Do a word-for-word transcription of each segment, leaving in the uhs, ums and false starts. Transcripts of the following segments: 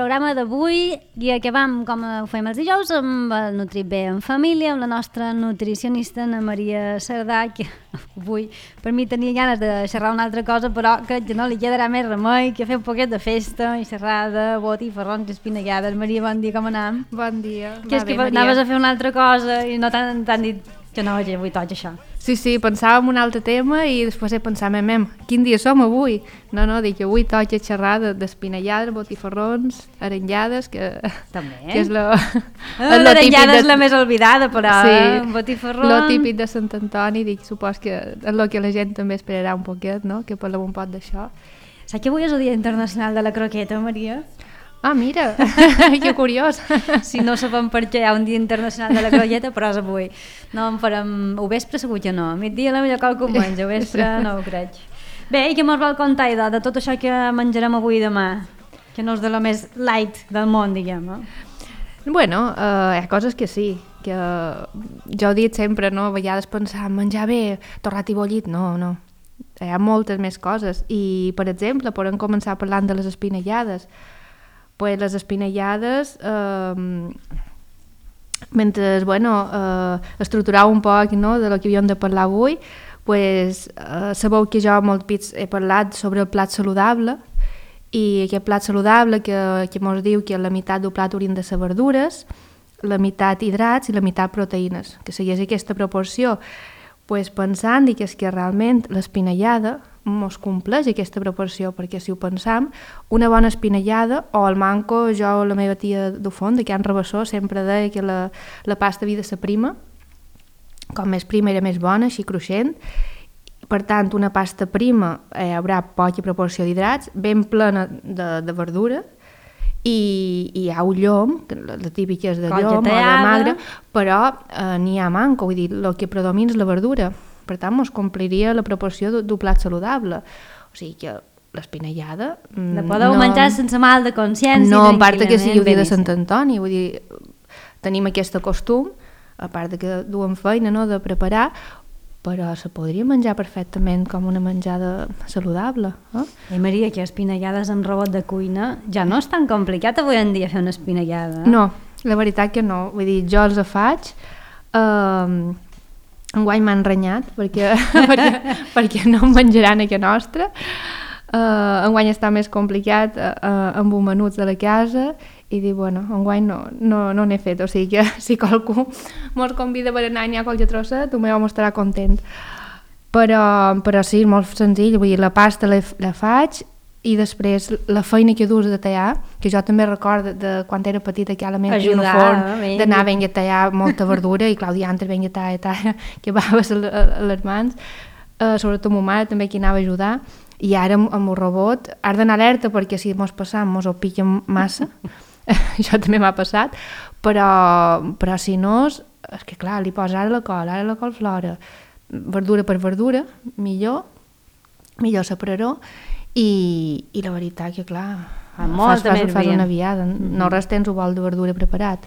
programa d'avui i acabam, com ho fem els dijous, amb el Nutrit Bé en família, amb la nostra nutricionista Ana Maria Cerdà, que avui per mi tenia ganes de xerrar una altra cosa, però que ja no li quedarà més remei que fer un poquet de festa i xerrar de botifarrons i espinellades. Maria, bon dia, com anam? Bon dia. Que és que anaves a fer una altra cosa i no t'han dit que no, avui toca això. Sí, sí, pensàvem un altre tema i després he pensat, mem, mem, quin dia som avui? No, no, dic que avui toca xerrar d'espinellades, botifarrons, arengades, que, també. que és lo, ah, l'arengada de... és la més oblidada, però sí, eh? botifarrons... lo típic de Sant Antoni, dic, supos que és el que la gent també esperarà un poquet, no?, que parlem un poc d'això. Saps que avui és el Dia Internacional de la Croqueta, Maria? Ah, mira, que curiós. Si no sabem per què hi ha un Dia Internacional de la Croqueta, però és avui. No en farem... Ho vespre segur que no. A migdia la millor qualque menja, ho vespre no ho crec. Bé, i què mos vol contar, Idò, de tot això que menjarem avui i demà? Que no és de lo més light del món, diguem, eh? Bueno, uh, hi ha coses que sí, que jo he dit sempre, no? A vegades pensar, menjar bé, torrat i bullit, no, no. Hi ha moltes més coses. I, per exemple, podem començar parlant de les espinellades. Pues les espinellades, eh, mentre, bueno, eh, estructurava un poc, no?, de lo que havíem de parlar avui, pues, eh, sabeu que jo molt pits he parlat sobre el plat saludable, i aquest plat saludable que, que mos diu que la meitat del plat haurien de ser verdures, la meitat hidrats i la meitat proteïnes, que segueix aquesta proporció. Pues pensant que és que realment l'espinellada mos compleix aquesta proporció, perquè si ho pensam, una bona espinellada, o el manco, jo o la meva tia de font, de Can Rabassó, sempre deia que la, la pasta havia de ser prima, com més prima era més bona, així cruixent. Per tant, una pasta prima eh, haurà poca proporció d'hidrats, ben plena de, de verdura, i, i hi ha un llom, la, la típica és de llom o de magre, però eh, n'hi ha manco, vull dir, el que predomina és la verdura. Per tant, mos compliria la proporció d'un plat saludable. O sigui que l'espinellada... La podeu no, menjar sense mal de consciència. No, a part que sigui el dia de Sant Antoni, vull dir, tenim aquest costum, a part de que duem feina, no?, de preparar, però se podria menjar perfectament com una menjada saludable. Eh? I Maria, que espinellades amb robot de cuina ja no és tan complicat avui en dia fer una espinellada. Eh? No, la veritat que no. Vull dir, jo els faig... Eh, enguany m'han renyat perquè, perquè, perquè no em menjaran a casa nostra. Uh, enguany està més complicat uh, uh, amb un menuts de la casa i dic, bueno, enguany no, no, no n'he fet, o sigui que si qualcú mos convida per anar i n'hi ha qualque trosset, tu m'ho estarà content. Però, però sí, molt senzill, vull dir, la pasta la, la faig i després la feina que dus de tallar, que jo també recordo de quan era petita que a la meva tia en el forn d'anar ben a tallar molta verdura i Clàudia antes ben a tallar, tallar que baves a les mans, uh, sobretot ma mare també que anava a ajudar, i ara amb, amb el robot has d'anar alerta perquè si mos passam mos ho piquen massa, això també m'ha passat, però, però si no, és que clar, li posa ara la col, ara la colflora, verdura per verdura, millor, millor separaró. I, i la veritat que, clar, fas, fas, fas una viada, mm-hmm. no res tens un bol de verdura preparat.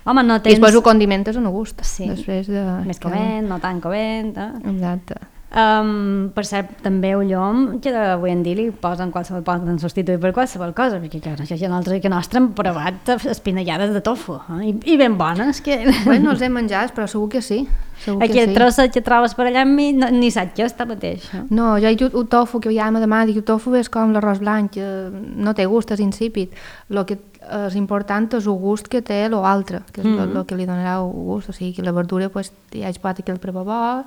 Home, no tens... I després ho condimentes a no gust. Sí, després de... més covent, no tan covent. Eh? Exacte. Um, per cert, també el llom, que avui en dia li posen qualsevol, poden substituir per qualsevol cosa, perquè clar, això ja nosaltres que nostre hem provat espinellades de tofu, eh? I, i ben bones. Que... Bueno, no els hem menjat, però segur que sí. Segur Aquí el sí. trosset que trobes per allà amb mi, no, ni saps què està mateix. Eh? No, jo he dit el tofu, que ja me demà, dic, el tofu és com l'arròs blanc, que no té gust, és insípid. El que és important és el gust que té l'altre, que és el mm. que li donarà el gust, o sigui, que la verdura pues, ja es pot aquell prepabó,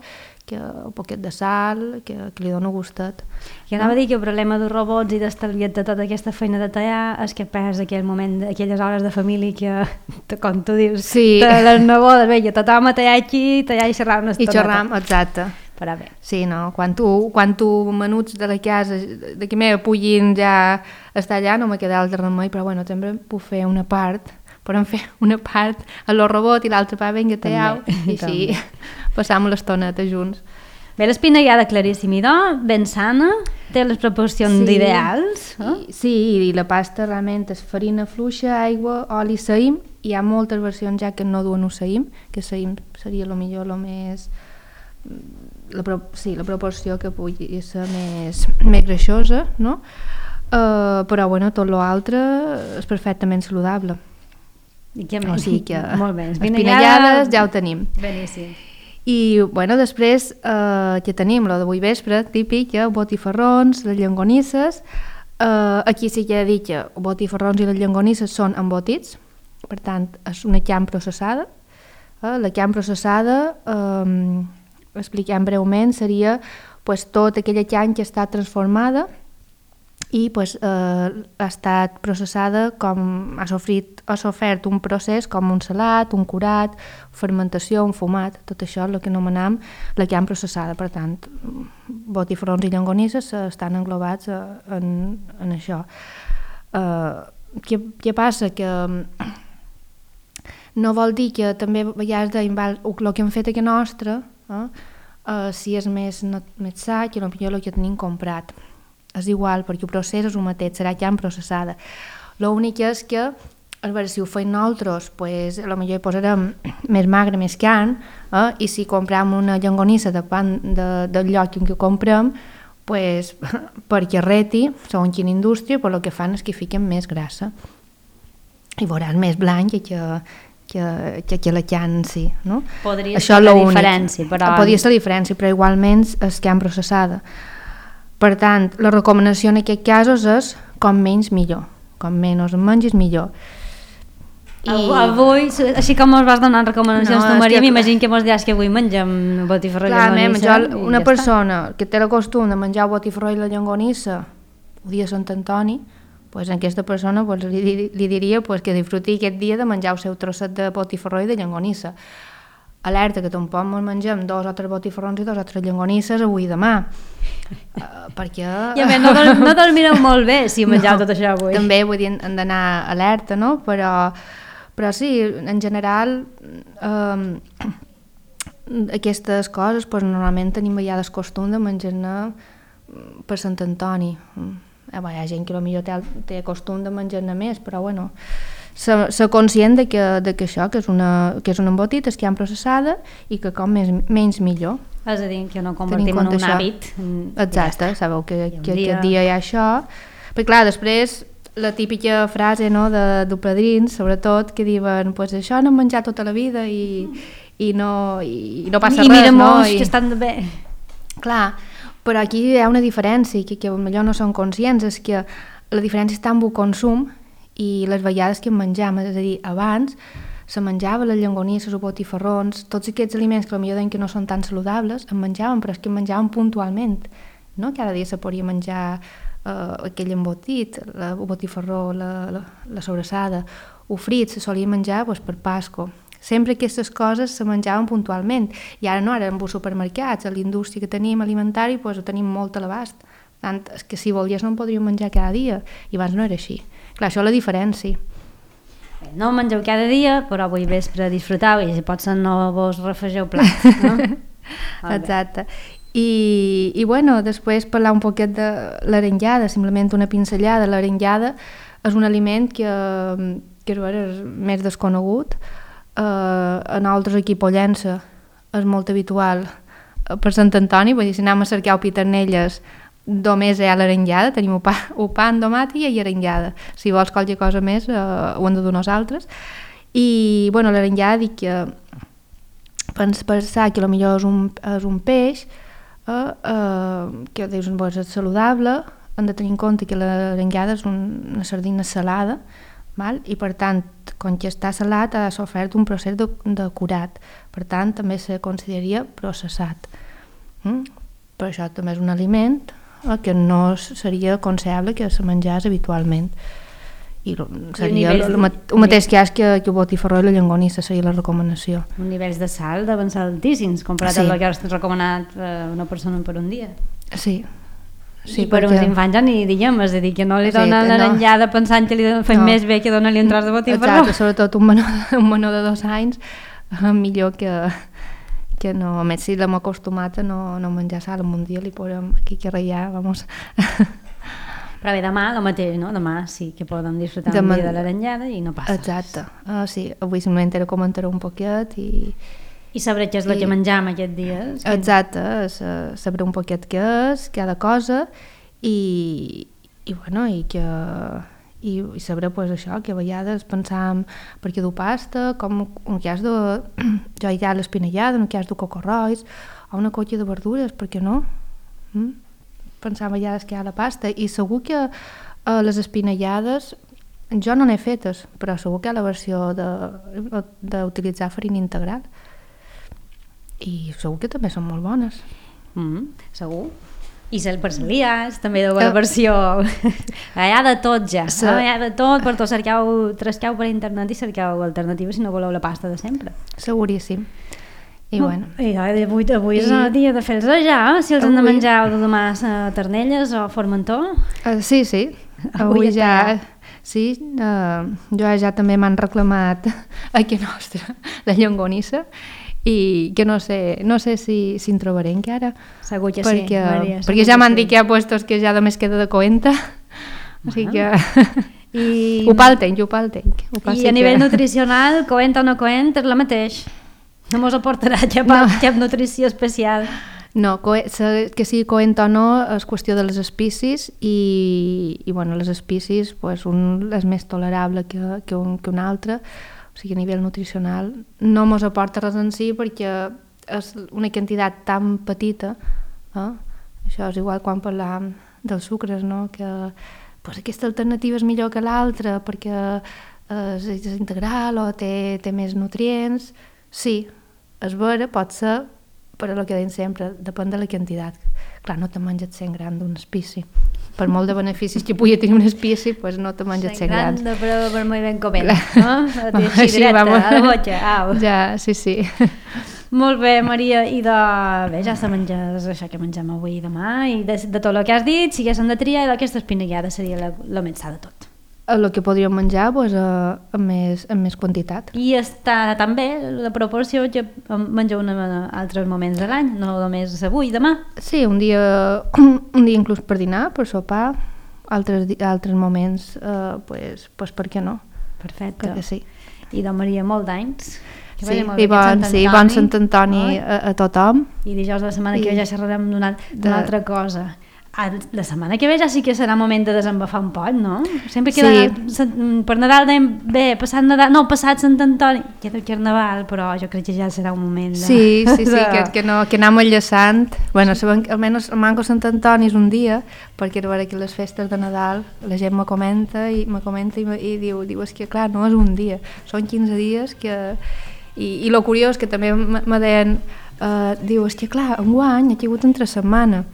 que un poquet de sal, que, que li dona gustet. I anava no? a dir que el problema dels robots i d'estalviar de tota aquesta feina de tallar és que perds aquell moment, aquelles hores de família que, com tu dius, sí. de les nebodes, veia, tothom a tallar aquí, tallar i xerrar una estoneta. I xerram, exacte. Però bé. Sí, no, quan tu, quan tu menuts de la casa, de qui me puguin ja estar allà, no me queda altre remei, però bueno, també puc fer una part, podem fer una part a lo robot i l'altra part venga tallau, i així passam l'estoneta junts. Bé, l'espinellada claríssim, idò, ben sana, té les proporcions sí, ideals. Eh? I, sí, i la pasta realment és farina fluixa, aigua, oli, saïm. Hi ha moltes versions ja que no duen un saïm, que saïm seria el millor, el més... La, pro, sí, la proporció que pugui ser més, més greixosa, no? uh, però bueno, tot l'altre és perfectament saludable. I què més? O sigui que molt bé, espinellades ja ho tenim. Beníssim. I bueno, després eh, que tenim lo d'avui vespre, típic, eh, botifarrons, les llonganisses. Eh, aquí sí que he dit que botifarrons i les llonganisses són embotits, per tant, és una carn processada. Eh, la carn processada, eh, expliquem breument, seria pues, tota aquella carn que està transformada i pues, eh, ha estat processada com ha sofrit, ha sofert un procés com un salat, un curat, fermentació, un fumat, tot això és el que anomenem la carn processada. Per tant, botifarrons i llonganisses estan englobats en, en això. Eh, què, què passa? Que no vol dir que també a vegades deim, val, el que hem fet aquí nostre, eh, eh, si és més, no, més sa que potser el que tenim comprat. És igual, perquè el procés és el mateix, serà carn processada. L'únic és que, a veure, si ho feim nosaltres, pues, potser hi posarem més magre, més carn, eh? I si comprem una llonganissa de pan de, del lloc en què comprem, pues, perquè reti, segons quina indústria, però el que fan és que fiquen més grassa. I veuràs més blanc que, que, que, que la carn, sí. No? Podria ser la diferència, però... Podria ser la diferència, però igualment és carn processada. Per tant, la recomanació en aquests casos és com menys millor, com menys menges millor. I... Avui, així com ens vas donant recomanacions no, tu, Maria, que... m'imagino que mos diràs que avui mengem botifarró i llonganissa. Una persona està. Que té el costum de menjar botifarró i la llonganissa el dia de Sant Antoni, pues, a aquesta persona pues, li, li diria pues, que disfruti aquest dia de menjar el seu trosset de botifarró i de llonganissa. Alerta, que tampoc ens mengem dos o tres botifarrons i dos o tres llonganisses avui i demà. Uh, perquè... I a més, no, no dormireu molt bé si menjau no, tot això avui. També, vull dir, hem d'anar alerta, no? Però, però sí, en general, um, aquestes coses, pues, normalment tenim ja el costum de menjar-ne per Sant Antoni. Eh, hi ha gent que potser té, té costum de menjar-ne més, però bueno... Ser, ser conscient de que, de que això, que és, una, que és un embotit, és carn processada i que com més, menys millor. És a dir, que no convertim en un això. Hàbit. Exacte, ja sabeu que, que dia... aquest dia hi ha això. Però clar, després la típica frase no, de, de padrins, sobretot, que diuen pues això no hem menjat tota la vida i, i, no, i, i no passa I res. mira no? I... que estan bé. Clar, però aquí hi ha una diferència que, que potser no són conscients, és que la diferència està en el consum i les vegades que en menjam, és a dir, abans se menjava les llonganisses o botifarrons, tots aquests aliments que potser deien que no són tan saludables, en menjaven, però és que en menjaven puntualment, no? Cada dia se podria menjar eh, aquell embotit, la, el botifarró, la, la, la sobrassada, o frit, se solia menjar doncs, per Pasco. Sempre aquestes coses se menjaven puntualment, i ara no, ara en els supermercats, a l'indústria que tenim alimentari, doncs, ho tenim molt a l'abast. Tant, és que si volies no en podríem menjar cada dia, i abans no era així. Clar, això és la diferència. No mengeu cada dia, però avui vespre disfrutau i si potser no vos refregeu plat, no? Exacte. I, I bueno, després parlar un poquet de l'arengada, simplement una pinzellada. L'arengada és un aliment que, que és més desconegut. Eh, en altres aquí a Pollença és molt habitual per Sant Antoni, vull dir, si anem a cercar piternelles només hi ha l'arengada, tenim el pa, el pa amb tomàtia i arengada. Si vols qualque cosa més, eh, ho hem de dur nosaltres. I, bueno, l'arengada dic que pensar que potser és un, és un peix eh, eh, que dius, pues, és saludable, hem de tenir en compte que l'arengada és un, una sardina salada, val? I per tant, quan que està salat ha sofert un procés de, de curat. Per tant, també se consideraria processat. Mm? Per això també és un aliment que no seria aconsellable que se menjés habitualment. I seria el, el, el mateix cas que, que el botifarró i la llonganissa seria la recomanació. Un nivells de sal deuen ser altíssims comparat sí. amb el que has recomanat una persona per un dia. Sí. Sí, I per perquè... uns infants ja ni diguem, és a dir, que no li donen sí, l'arengada no. pensant que li fa no. més bé que donar-li un tros de botifarró. Exacte, sobretot un menor, un menor de dos anys, millor que... que no, a més si l'hem acostumat a no, no menjar sal, en un dia li posem aquí que reiar, vamos. Però bé, demà el mateix, no? Demà sí que podem disfrutar Demà... un dia de l'arengada i no passa. Exacte, uh, sí, avui simplement era comentar un poquet i... I saber què és el I... que menjam aquest dia. Exacte, que... saber un poquet què és, cada cosa, i, i bueno, i que i, i saber pues, això, que a vegades pensàvem per què du pasta, com un cas de jo hi ha l'espinellada, un cas de cocorrois o una colla de verdures, per què no? Mm? Pensàvem a vegades que hi ha la pasta i segur que eh, les espinellades jo no n'he fetes, però segur que hi ha la versió d'utilitzar farina integral i segur que també són molt bones. Mm, segur. I per celiars, també de la versió hi ha de tot ja, sí. No? Hi ha de tot, per tot cerqueu, trasqueu per internet i cerqueu alternatives si no voleu la pasta de sempre. Seguríssim. I no, bueno. I avui, avui I... és el dia de fer-los ja, si els avui... han de menjar o de demà a Ternelles o a Formentor. Uh, sí, sí, avui, avui ja, sí, uh, jo ja també m'han reclamat aquí nostra la llonganissa i que no sé, no sé si, si en trobaré encara. Segur que perquè, sí, Maria. Perquè ja m'han sí. dit que hi ha puestos que ja només queda de coenta, o sigui que... I... ho pal tenc, ho pal tenc. Ho I a nivell que... nutricional, coent o no coent, és la mateix. No mos aportarà cap, no. cap nutrició especial. No, que sigui coent o no és qüestió de les espècies i, i bueno, les espècies pues, un és més tolerable que, que, un, que un altre. O sigui, a nivell nutricional no mos aporta res en si perquè és una quantitat tan petita, eh? Això és igual quan parlàvem dels sucres, no? Que pues, aquesta alternativa és millor que l'altra perquè és, és integral o té, té més nutrients. Sí, és vera, pot ser, però el que deim sempre, depèn de la quantitat. Clar, no te menges cent grams d'un espici. Per molt de beneficis que pugui tenir un espici, pues no te menges cent grams. cent grams de preu per molt ben coment, no? Així directe, a la botxa, au. Ja, sí, sí. Molt bé, Maria, i de... Bé, ja se menges això que mengem avui i demà, i de, de tot el que has dit, si haguéssim de triar, aquesta espinellada seria el més sa de tot. El que podríem menjar pues, uh, amb, més, amb més quantitat. I està també la proporció que mengeu en altres moments de l'any, no només avui i demà? Sí, un dia, un dia inclús per dinar, per sopar, altres, altres moments, uh, pues, pues per què no? Perfecte. Que sí. I de Maria, molt d'anys. Sí, i bon, sí, bon Sant Antoni a, a tothom. I dijous de la setmana I... que ve ja xerrarem d'una de... altra cosa. La setmana que ve ja sí que serà moment de desembafar un poc, no? Sempre queda sí. Per Nadal dèiem, bé, passat Nadal, no, passat Sant Antoni, queda el Carnaval, però jo crec que ja serà un moment de... Sí, sí, sí, que, que, no, que anem enllaçant. Bueno, sabem, almenys el Manco Sant Antoni és un dia, perquè a veure que les festes de Nadal la gent me comenta i me comenta i, me, i diu, diu, és que clar, no és un dia, són quinze dies que... I, i lo curiós que també me deien, uh, diu, és que clar, enguany ha caigut entre setmana,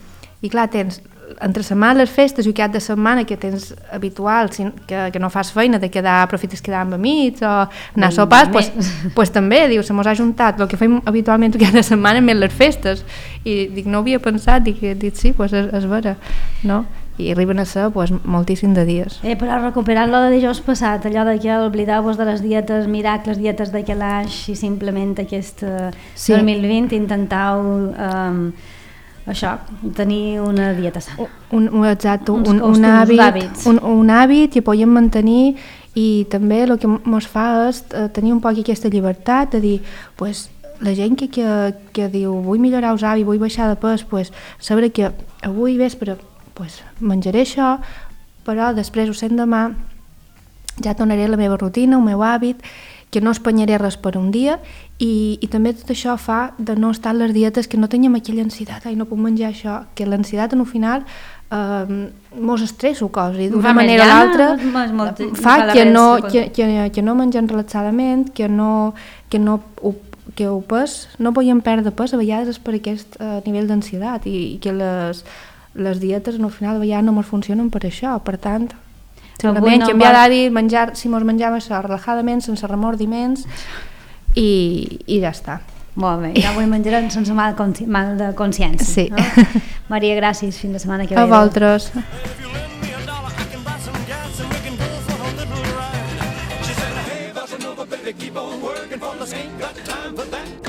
i clar, tens entre setmana les festes i cap de setmana que tens habitual, que, que no fas feina de quedar, aprofites quedar amb amics o anar a sopars, pues, pues també, diu, se mos ha juntat el que fem habitualment cada setmana més les festes, i dic, no ho havia pensat, dic, dic sí, pues és, és vera, no? I arriben a ser pues, moltíssim de dies. Eh, però recuperant-lo de dijous passat, allò de que oblideu-vos de les dietes, miracles, dietes de calaix i simplement aquest uh, sí. dos mil vint intentau um, això, tenir una dieta sana. Un, un, exacte, un, un, un, hàbit, un, un hàbit que podem mantenir i també el que ens fa és tenir un poc aquesta llibertat de dir, pues, la gent que, que, que diu vull millorar els hàbits, vull baixar de pes, pues, saber que avui vespre pues, menjaré això, però després ho sent demà, ja tornaré a la meva rutina, el meu hàbit, que no espanyaré res per un dia i, i també tot això fa de no estar en les dietes que no teníem aquella ansietat, ai no puc menjar això, que l'ansietat en el final eh, mos estresso coses i d'una manera o l'altra fa que no, que, que, que no mengem relaxadament, que no, que no ho, que ho pes, no podíem perdre pes, a vegades és per aquest uh, nivell d'ansietat i, i que les, les dietes al final a vegades no ens funcionen per això, per tant simplement no canviar vol... d'hàbit, menjar, si mos menjàvem això relajadament, sense remordiments i, i ja està. Molt bé, ja avui menjarem sense mal, consci... mal de consciència. Sí. No? Maria, gràcies, fins la setmana que ve. A vosaltres. Keep on working for the ain't got time for that.